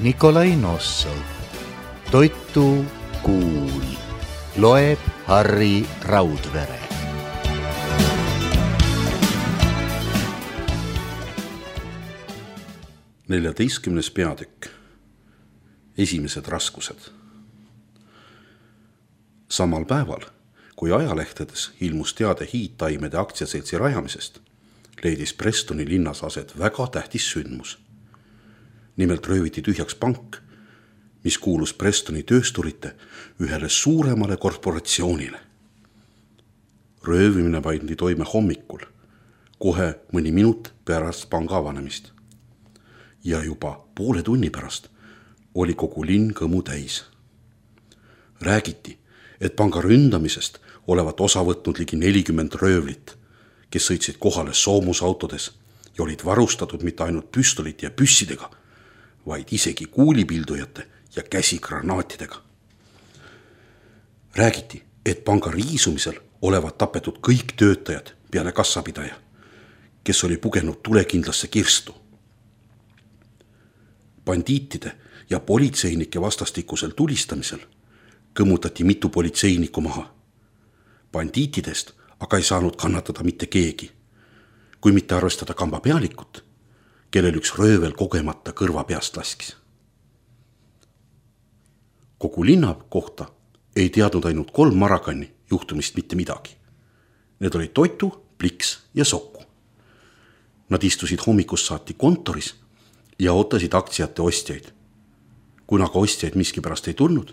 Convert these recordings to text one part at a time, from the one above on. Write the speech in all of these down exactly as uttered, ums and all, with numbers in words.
Nikolai Nossov. Toitu kuul. Loeb Harri Raudvere. neljateistkümnes peatükk. Esimesed raskused. Samal päeval, kui ajalehtedes ilmus teade hiidtaimede aktsiaseltsi rajamisest, leidis Prestoni linnas aset väga tähtis sündmus. Nimelt rööviti tühjaks pank, mis kuulus Prestoni töösturite ühele suuremale korporatsioonile. Röövimine pandi toime hommikul, kohe mõni minut pärast panga avanemist. Ja juba poole tunni pärast oli kogu linn kõmu täis. Räägiti, et panga ründamisest olevat osa võtnud ligi nelikümmend röövlit, kes sõitsid kohale soomusautodes ja olid varustatud mitte ainult püstolite ja püssidega, vaid isegi kuulipildujate ja käsigranaatidega. Räägiti, et panga riisumisel olevat tapetud kõik töötajad peale kassapidaja, kes oli pugenud tulekindlasse kirstu. Bandiitide ja politseinike vastastikusel tulistamisel kõmutati mitu politseinikku maha. Bandiitidest aga ei saanud kannatada mitte keegi, kui mitte arvestada kamba pealikut, kellel üks röövel kogemata kõrva peast laskis. Kogu linna kohta ei teadnud ainult kolm Marakanni juhtumist mitte midagi. Need olid Toitu, Pliks ja Sokku. Nad istusid hommikust saati kontoris ja ootasid aktsiate ostjaid. Kuna ka ostjaid miskipärast ei tulnud,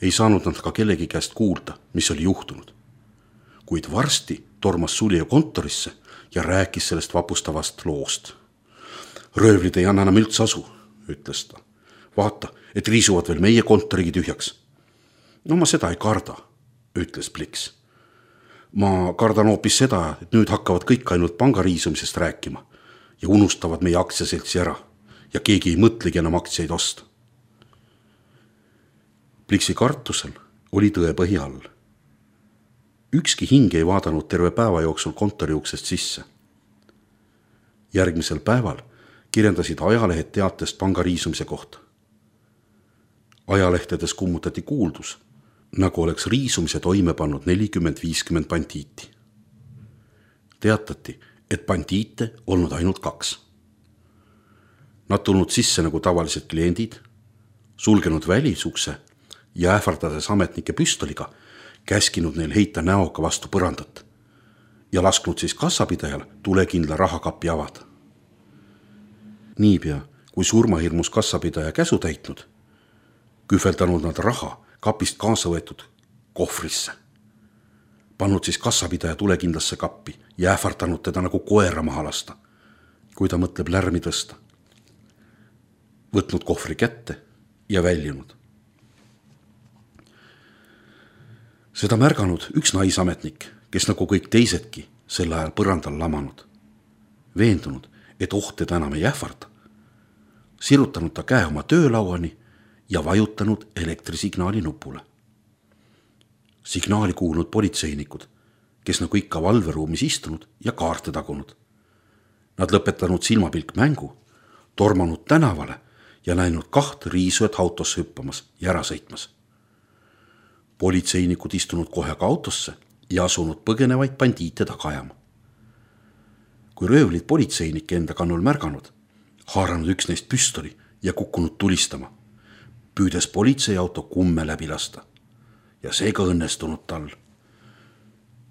ei saanud nad ka kellegi käest kuulda, mis oli juhtunud. Kuid varsti tormas Sulje kontorisse ja rääkis sellest vapustavast loost. Röövlid ei anna enam üldse asu, ütles ta. Vaata, et riisuvad veel meie kontorigi tühjaks. No ma seda ei karda, ütles Pliks. Ma kardan hoopis seda, et nüüd hakkavad kõik ainult panga riisumisest rääkima ja unustavad meie aktsiaseltsi ära ja keegi ei mõtlegi enam aktsiaid osta. Pliksi kartusel oli tõe põhi all. Ükski hing ei vaadanud terve päeva jooksul kontori uksest sisse. Järgmisel päeval kirjendasid ajalehed teatest panga riisumise kohta. Ajalehtedes kummutati kuuldus, nagu oleks riisumise toime pannud nelikümmend viiskümmend bandiiti. Teatati, et bandiite olnud ainult kaks. Nad tulnud sisse nagu tavalised kliendid, sulgenud välisukse ja ähvardades ametnike püstoliga, käskinud neil heita näoga vastu põrandat ja lasknud siis kassapidajal tulekindla rahakapi avada. Niipea, kui surmahirmus kassapidaja käsu täitnud, kühveldanud nad raha kapist kaasa võetud kohvrisse. Pannud siis kassapidaja tulekindlasse kappi ja ähvardanud teda nagu koera maha lasta, kui ta mõtleb lärmi tõsta. Võtnud kohvri kätte ja väljunud. Seda märganud üks naisametnik, kes nagu kõik teisedki sel ajal põrandal lamanud. Veendunud, et oht teda enam ei ähvarda. Sirutanud ta käe oma töölauani ja vajutanud elektrisignaali nupule. Signaali kuulnud politseinikud, kes nagu ikka valveruumis istunud ja kaarte tagunud. Nad lõpetanud silmapilk mängu, tormanud tänavale ja näinud kaht riisujat autosse hüppamas ja ära sõitmas. Politseinikud istunud kohe ka autosse ja asunud põgenevaid bandiite taga ajama. Kui röövlid politseinike enda kannul märganud, haaranud üks neist püstoli ja kukkunud tulistama, püüdes politseiauto kumme läbi lasta. Ja seega õnnestunud tal.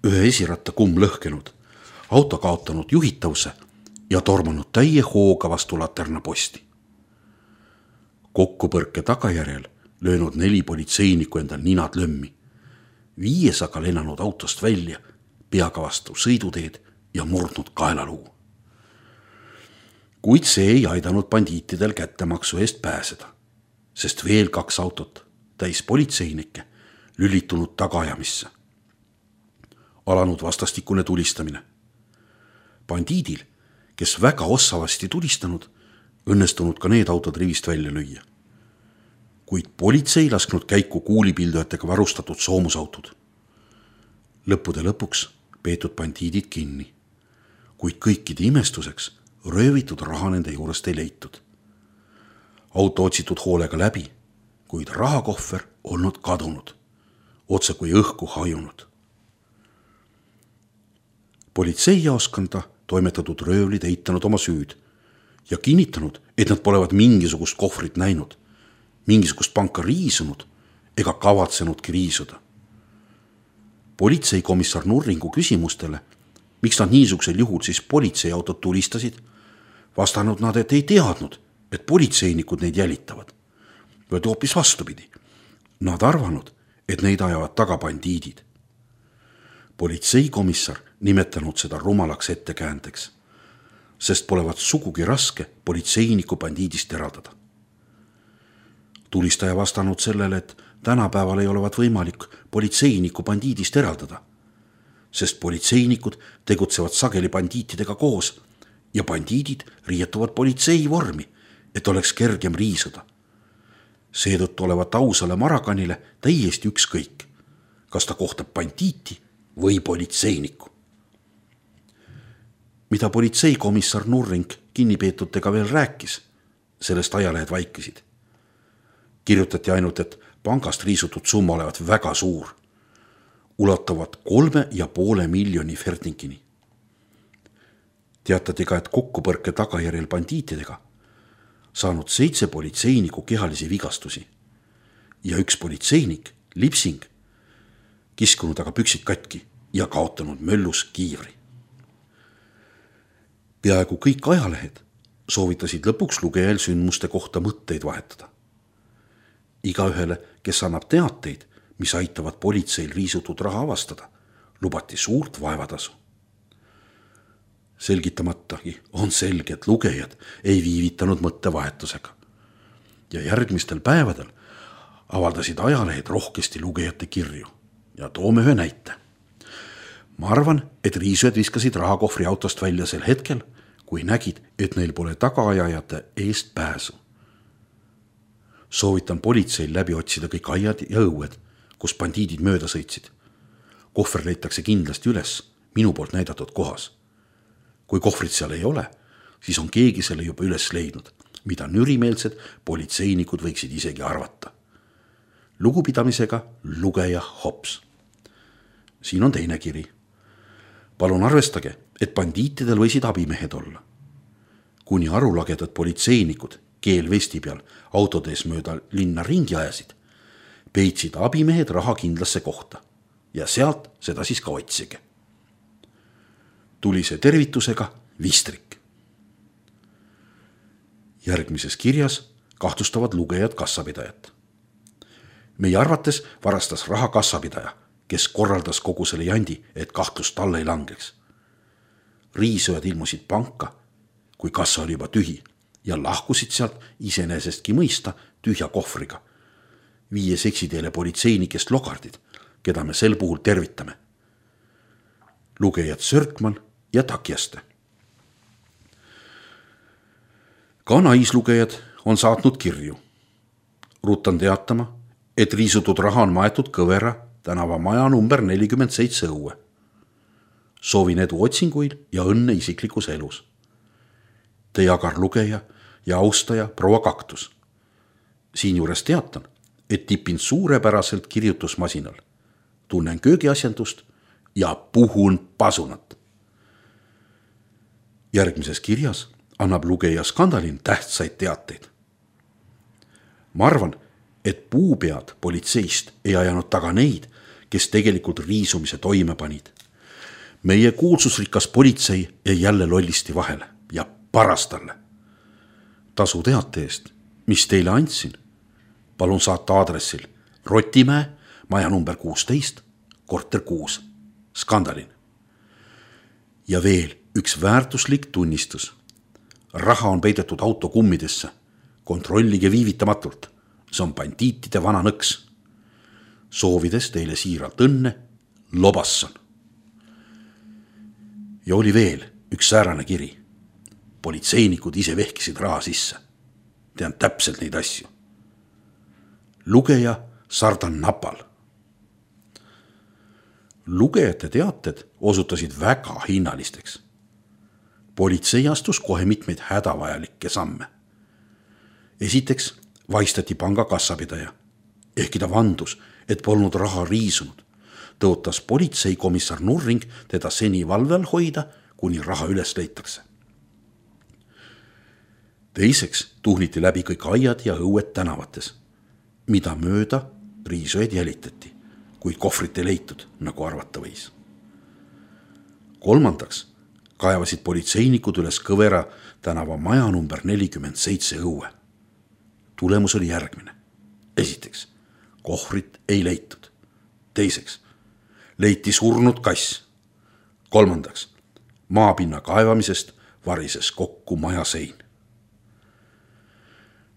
Ühe esiratta kumm lõhkenud, auto kaotanud juhitavuse ja tormanud täie hooga vastu laterna posti. Kokkupõrke tagajärjel löönud neli politseinikku endal ninad lömmi, viies aga lennanud autost välja, peaga vastu sõiduteed ja murdnud kaelaluu. Kuid see ei aidanud bandiitidel kättemaksu eest pääseda, sest veel kaks autot täis politseinikke lülitunud tagaajamisse. Alanud vastastikune tulistamine. Bandiidil, kes väga ossavasti tulistanud, õnnestunud ka need autod rivist välja lüüa. Kuid politsei lasknud käiku kuulipildujatega varustatud soomusautod. Lõppude lõpuks peetud bandiidid kinni, kuid kõikide imestuseks röövitud raha nende juurest ei leitud. auto otsitud hoolega läbi, kuid rahakohver olnud kadunud, otse kui õhku hajunud. Politseijaoskonda toimetatud röövlid eitanud oma süüd ja kinnitanud, et nad polevat mingisugust kohvrit näinud, mingisugust panka riisunud ega kavatsenudki riisuda. Politseikomissar Nurringu küsimustele, miks nad niisugusel juhul siis politseiautot tulistasid, vastanud nad, et ei teadnud, et politseinikud neid jälitavad. Vaid hoopis vastupidi. Nad arvanud, et neid ajavad taga bandiidid. Politseikomissar nimetanud seda rumalaks ettekäändeks, sest polevat sugugi raske politseiniku bandiidist eraldada. Tulistaja vastanud sellele, et tänapäeval ei olevat võimalik politseiniku bandiidist eraldada, sest politseinikud tegutsevad sageli bandiitidega koos ja bandiidid riietuvad politsei vormi, et oleks kergem riisuda. Seetõttu olevat ausale Marakanile täiesti ükskõik, kas ta kohtab bandiiti või politseinikku. Mida politseikomissar Nurring kinnipeetutega veel rääkis, sellest ajalehed vaikisid. Kirjutati ainult, et pangast riisutud summa olevat väga suur, ulatuvad kolme ja poole miljoni ferdinkini. Teatati ka, et kokkupõrke tagajärjel bandiitidega saanud seitse politseiniku kehalisi vigastusi ja üks politseinik, Lipsing, kiskunud aga püksid katki ja kaotanud möllus kiivri. Peaaegu kõik ajalehed soovitasid lõpuks lugejal sündmuste kohta mõtteid vahetada. Igaühele, kes annab teateid, mis aitavad politseil riisutud raha avastada, lubati suurt vaevatasu. Selgitamatagi on selge, et lugejad ei viivitanud mõttevahetusega. Ja järgmistel päevadel avaldasid ajalehed rohkesti lugejate kirju ja toome ühe näite. Ma arvan, et riisujad viskasid rahakohvri autost välja sel hetkel, kui nägid, et neil pole tagaajajate eest pääsu. Soovitan politseil läbi otsida kõik aiad ja õued, kus bandiidid mööda sõitsid. Kohver leitakse kindlasti üles minu poolt näidatud kohas. Kui kohvrit seal ei ole, siis on keegi selle juba üles leidnud, mida nürimeelsed politseinikud võiksid isegi arvata. Lugupidamisega lugeja Hops. Siin on teine kiri. Palun arvestage, et bandiitidel võisid abimehed olla. Kuni arulagedad politseinikud keel vesti peal autodes mööda linna ringi ajasid, peitsid abimehed raha kindlasse kohta ja sealt seda siis ka otsige. Tuli see tervitusega Vistrik. Järgmises kirjas kahtlustavad lugejad kassapidajat. Meie arvates varastas raha kassapidaja, kes korraldas kogu selle jandi, et kahtlust talle ei langeks. Riisujad ilmusid panka, kui kassa oli juba tühi ja lahkusid sealt iseenesestki mõista tühja kohvriga, viies eksiteele politseinikest logardid, keda me sel puhul tervitame. Lugejad Sörkman ja Takjaste. Ka naislugejad on saatnud kirju. Rutan teatama, et riisutud raha on maetud Kõvera tänava maja number nelikümmend seitse õue. Soovin edu otsinguil ja õnne isiklikus elus. Teie agar lugeja ja austaja proua Kaktus. Siin juures teatan, et tipin suurepäraselt kirjutusmasinal. Tunnen köögiasjandust ja puhun pasunat. Järgmises kirjas annab lugeja Skandalin tähtsaid teateid. Ma arvan, et puupead politseist ei ajanud taga neid, kes tegelikult riisumise toime panid. Meie kuulsusrikas politsei jäi jälle lollisti vahele ja paras talle. Tasu teate eest, mis teile andsin, palun saata aadressil Rotimäe, maja number kuusteist, korter kuus, Skandalin. Ja veel üks väärtuslik tunnistus. Raha on peidetud auto kummidesse. Kontrollige viivitamatult. See on bandiitide vana nõks. Soovides teile siiralt õnne, Lobasson. Ja oli veel üks säärane kiri. Politseinikud ise vehkisid raha sisse. Tean täpselt neid asju. Lugeja Sardan Napal. Lugejate teated osutasid väga hinnalisteks. Politsei astus kohe mitmeid hädavajalikke samme. esiteks vaistati panga kassapidaja, ehkki ta vandus, et polnud raha riisunud. Tõotas politseikomissar Nurring teda seni valve all hoida, kuni raha üles leitakse. Teiseks tuhniti läbi kõik aiad ja õued tänavates, mida mööda riisujaid jälitati, kuid kohvrit ei leitud, nagu arvata võis. Kolmandaks kaevasid politseinikud üles Kõvera tänava maja number nelikümmend seitse õue. Tulemus oli järgmine. Esiteks, kohvrit ei leitud. Teiseks, leiti surnud kass. Kolmandaks, maapinna kaevamisest varises kokku maja sein.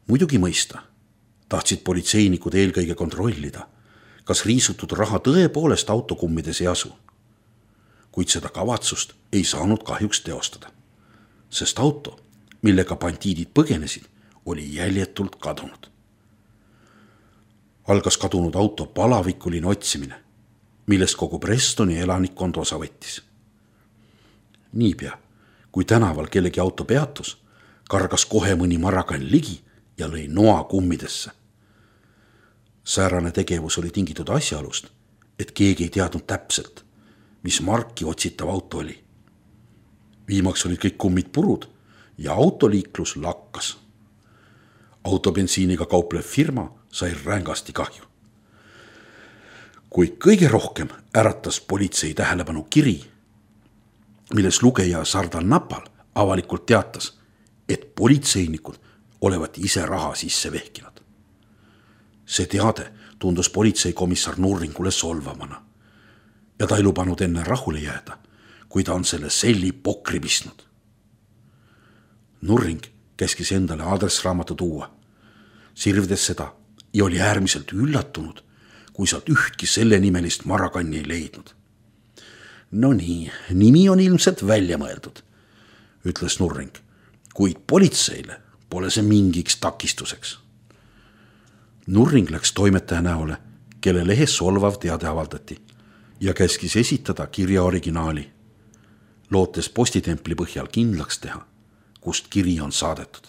Muidugi mõista, tahtsid politseinikud eelkõige kontrollida, kas riisutud raha tõepoolest autokummides ei asu. Kuid seda kavatsust ei saanud kahjuks teostada, sest auto, millega bandiidid põgenesid, oli jäljetult kadunud. Algas kadunud auto palavikuline otsimine, millest kogu Prestoni elanikkond osa võttis. Niipea, kui tänaval kellegi auto peatus, kargas kohe mõni marakann ligi ja lõi noa kummidesse. Säärane tegevus oli tingitud asjaolust, et keegi ei teadnud täpselt, mis marki otsitav auto oli. Viimaks olid kõik kummid purud ja autoliiklus lakkas. Autobensiiniga kauplev firma sai rängasti kahju. Kuid kõige rohkem äratas politsei tähelepanu kiri, milles lugeja Sardal Napal avalikult teatas, et politseinikud olevat ise raha sisse vehkinud. See teade tundus politseikomissar Nurringule solvamana ja ta ei lubanud enne rahule jääda, kui ta on selle selli pokri pistnud. Nurring käskis endale aadressraamatu tuua, sirvides seda ja oli äärmiselt üllatunud, kui sealt ühtki selle nimelist marakanni ei leidnud. No nii, nimi on ilmselt välja mõeldud, ütles Nurring, kuid politseile pole see mingiks takistuseks. Nurring läks toimetaja näole, kelle lehes solvav teade avaldati ja käskis esitada kirja originaali, lootes postitempli põhjal kindlaks teha, kust kiri on saadetud.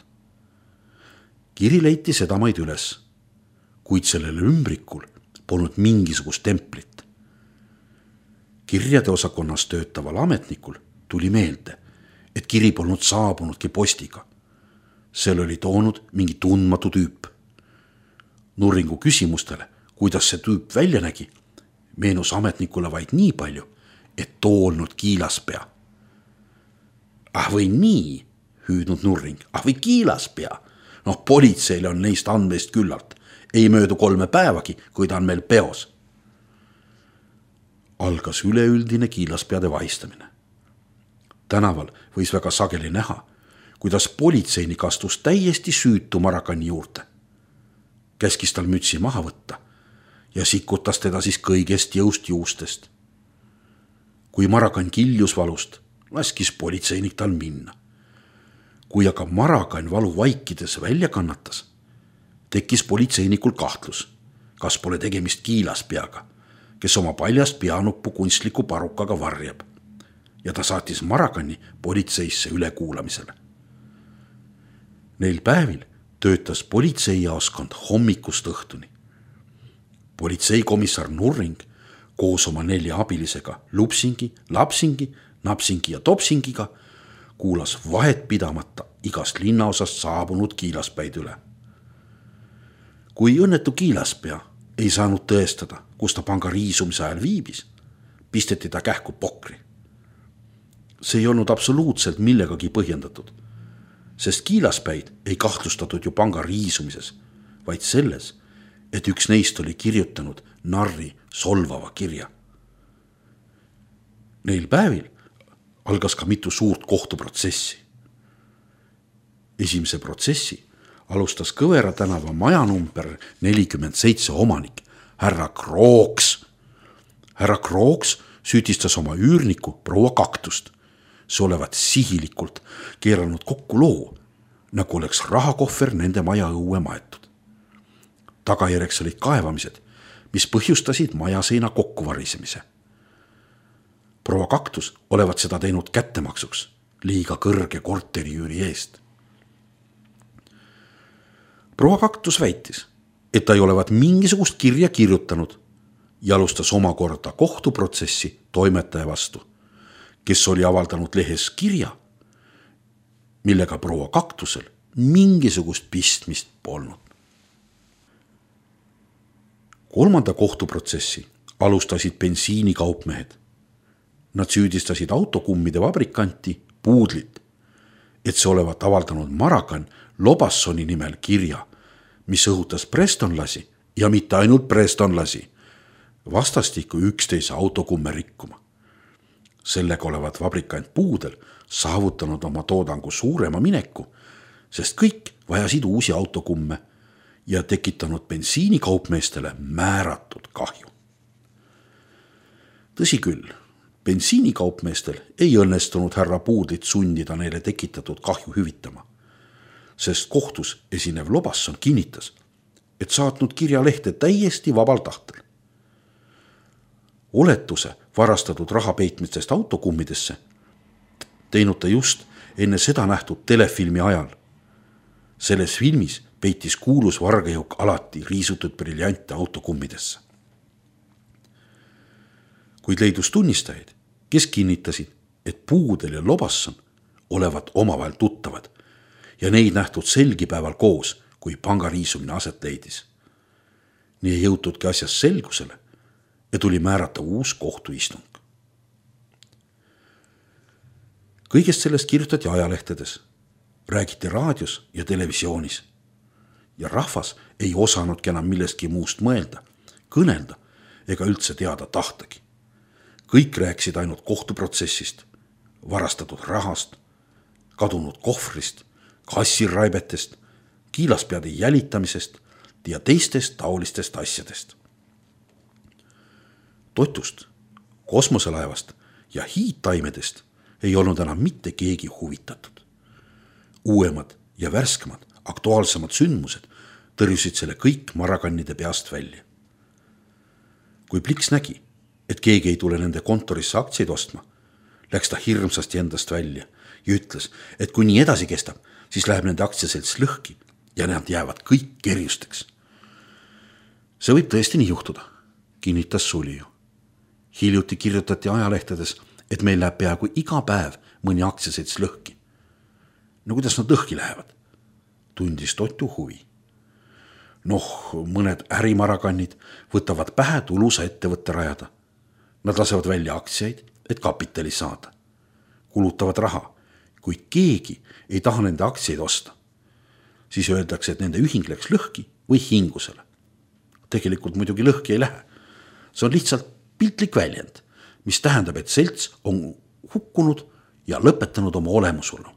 Kiri leiti sedamaid üles, kuid sellel ümbrikul polnud mingisugust templit. Kirjade osakonnas töötaval ametnikul tuli meelde, et kiri polnud saabunudki postiga. Seal oli toonud mingi tundmatu tüüp. Nurringu küsimustele, kuidas see tüüp välja nägi, meenus ametnikule vaid nii palju, et too olnud kiilaspea. Ah või nii, hüüdnud Nurring, ah või kiilaspea. Noh, politseile on neist andmeist küllalt. Ei möödu kolme päevagi, kui ta on meil peos. Algas üleüldine kiilaspeade vahistamine. Tänaval võis väga sageli näha, kuidas politseinik astus täiesti süütu marakanni juurde. Käskis tal mütsi maha võtta ja sikutas teda siis kõigest jõust juustest. Kui marakann kiljus valust, laskis politseinik tal minna. Kui aga marakann valu vaikides välja kannatas, tekkis politseinikul kahtlus, kas pole tegemist kiilaspeaga, kes oma paljast peanuppu kunstliku parukaga varjab, ja ta saatis marakanni politseisse ülekuulamisele. Neil päevil töötas politseijaoskond hommikust õhtuni. Politseikomissar Nurring koos oma nelja abilisega Lupsingi, Lapsingi, Napsingi ja Topsingiga kuulas vahet pidamata igast linnaosast saabunud kiilaspäid üle. Kui õnnetu kiilaspea ei saanud tõestada, kus ta panga riisumise ajal viibis, pisteti ta kähku pokri. See ei olnud absoluutselt millegagi põhjendatud, sest kiilaspäid ei kahtlustatud ju panga riisumises, vaid selles, et üks neist oli kirjutanud narri solvava kirja. Neil päevil algas ka mitu suurt kohtuprotsessi. Esimese protsessi alustas Kõvera tänava maja number nelikümmend seitse omanik, härra Krooks. Härra Krooks süüdistas oma üürniku proua Kaktust. See olevat sihilikult keeranud kokku loo, nagu oleks rahakohver nende maja õue maetud. Tagajärjeks olid kaevamised, mis põhjustasid majaseina kokkuvarisemise. Proua Kaktus olevat seda teinud kättemaksuks liiga kõrge korteriüüri eest. proua Kaktus väitis, et ta ei olevat mingisugust kirja kirjutanud ja alustas omakorda kohtuprotsessi toimetaja vastu, kes oli avaldanud lehes kirja, millega proua Kaktusel mingisugust pistmist polnud. Kolmanda kohtuprotsessi alustasid bensiinikaupmehed. Nad süüdistasid autokummide vabrikanti Puudlit, et see olevat avaldanud Marakan Lobassoni nimel kirja, mis õhutas prestonlasi ja mitte ainult prestonlasi, vastastikku üksteise autokumme rikkuma. Sellega olevat vabrikant Puudel saavutanud oma toodangu suurema mineku, sest kõik vajasid uusi autokumme ja tekitanud bensiinikaupmeestele määratud kahju. Tõsi küll, bensiinikaupmeestel ei õnnestunud härra Puudlit sundida neile tekitatud kahju hüvitama, sest kohtus esinev Lobasson kinnitas, et saatnud kirjalehte täiesti vabal tahtel. Oletuse varastatud raha peitmistest autokummidesse teinud ta just enne seda nähtud telefilmi ajal. Selles filmis peitis kuulus vargajõuk alati riisutud briljante autokummidesse. Kuid leidus tunnistajaid, kes kinnitasid, et Puudel ja Lobasson olevat omavahel tuttavad ja neid nähtud selgipäeval koos, kui pangariisumine aset leidis. Nii ei jõutudki asjas selgusele ja tuli määrata uus kohtuistung. Kõigest sellest kirjutati ajalehtedes, räägiti raadios ja televisioonis ja rahvas ei osanudki enam millestki muust mõelda, kõnelda ega üldse teada tahtagi. Kõik rääkisid ainult kohtuprotsessist, varastatud rahast, kadunud kohvrist, kassiraibetest, kiilaspeade jälitamisest ja teistest taolistest asjadest. Totust, kosmoselaevast ja hiidtaimedest ei olnud enam mitte keegi huvitatud. Uuemad ja värskemad, aktuaalsemad sündmused tõrjusid selle kõik Marakannide peast välja. Kui Pliks nägi, et keegi ei tule nende kontorisse aktsiaid ostma, läks ta hirmsasti endast välja ja ütles, et kui nii edasi kestab, siis läheb nende aktsiaselts lõhki ja nad jäävad kõik kerjusteks. See võib tõesti nii juhtuda, kinnitas Sulju. Hiljuti kirjutati ajalehtedes, et meil läheb peaaegu iga päev mõni aktsiaselts lõhki. No kuidas nad lõhki lähevad? Tundis Totu huvi. Noh, mõned ärimarakannid võtavad pähe tulusa ettevõtte rajada. Nad lasevad välja aktsiaid, et kapitali saada. Kulutavad raha, kuid keegi ei taha nende aktsiaid osta. Siis öeldakse, et nende ühing läks lõhki või hingusele. Tegelikult muidugi lõhki ei lähe. See on lihtsalt piltlik väljend, mis tähendab, et selts on hukkunud ja lõpetanud oma olemusolu.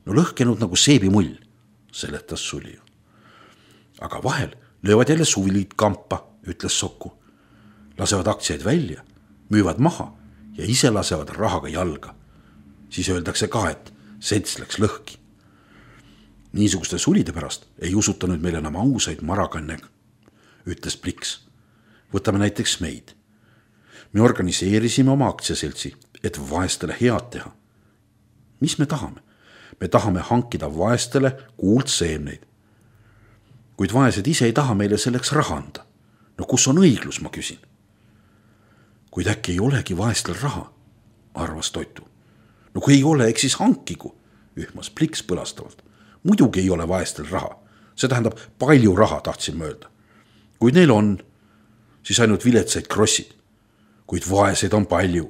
No lõhkenud nagu seebimull, seletas Sulju. Aga vahel löövad jälle suvilid kampa, ütles Sokku. Lasevad aktsiaid välja, müüvad maha ja ise lasevad rahaga jalga. Siis öeldakse ka, et selts läks lõhki. Niisuguste sulide pärast ei usuta nüüd meil enam ausaid marakanne, ütles Pliks. Võtame näiteks meid. Me organiseerisime oma aktsiaseltsi, et vaestele head teha. Mis me tahame? Me tahame hankida vaestele kuuldseemneid. Kuid vaesed ise ei taha meile selleks raha anda. No kus on õiglus, ma küsin. Kuid äkki ei olegi vaestel raha, arvas Totu. No kui ei ole, eks siis hankigu, ühmas Pliks põlastavalt. Muidugi ei ole vaestel raha. See tähendab palju raha, tahtsin mööda. Kui neil on, siis ainult viletsaid krossid. Kuid vaeseid on palju.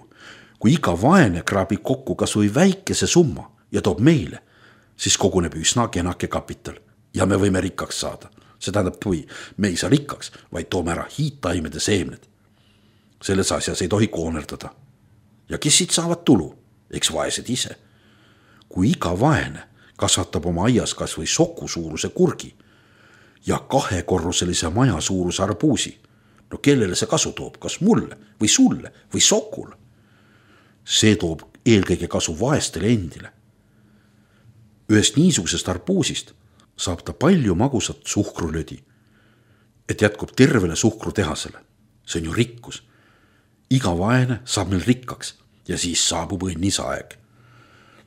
Kui iga vaene kraabib kokku kas või väikese summa ja toob meile, siis koguneb üsna kenake kapital ja me võime rikkaks saada. See tähendab, kui me ei saa rikkaks, vaid toome ära hiidtaimede seemned. Selles asjas ei tohi koonerdada. Ja kes siit saavad tulu? Eks vaesed ise. Kui iga vaene kasvatab oma aias kas või soku suuruse kurgi ja kahekorruselise maja suuruse arbuusi, no kellele see kasu toob, kas mulle või sulle või sokule? See toob eelkõige kasu vaestele endile. Ühest niisugusest arbuusist saab ta palju magusat suhkrulödi, et jätkub tervele suhkrutehasele. See on ju rikkus. Iga vaene saab meil rikkaks ja siis saabub õnnisaeg.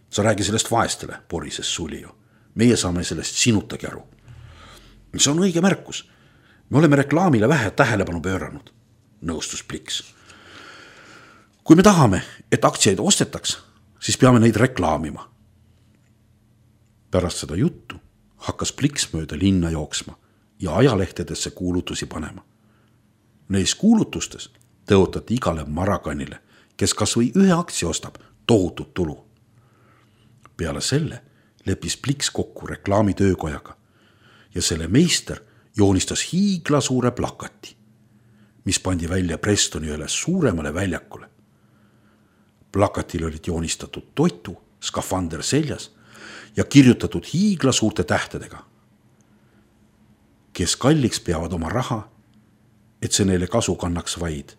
Sa räägi sellest vaestele, porises Sulju. Meie saame sellest sinutagi aru. see on õige märkus. Me oleme reklaamile vähe tähelepanu pööranud, nõustus Pliks. Kui me tahame, et aktsiaid ostetaks, siis peame neid reklaamima. Pärast seda juttu hakkas Pliks mööda linna jooksma ja ajalehtedesse kuulutusi panema. Neis kuulutustes tõotati igale marakannile, kes kas või ühe aktsia ostab, tohutut tulu. Peale selle lepis Pliks kokku reklaamitöökojaga ja selle meister joonistas hiigla suure plakati, mis pandi välja Prestoni üles suuremale väljakule. Plakatil olid joonistatud toitu, skafander seljas ja kirjutatud hiigla suurte tähtedega. Kes kalliks peavad oma raha, et see neile kasu kannaks vaid.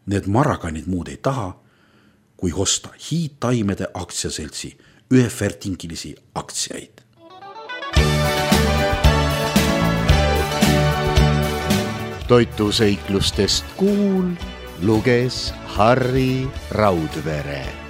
Need marakanid muud ei taha, kui osta hiidtaimede aktsiaseltsi ühe fertingilisi aktsiaid. Toituseiklustest Kuul luges Harri Raudvere.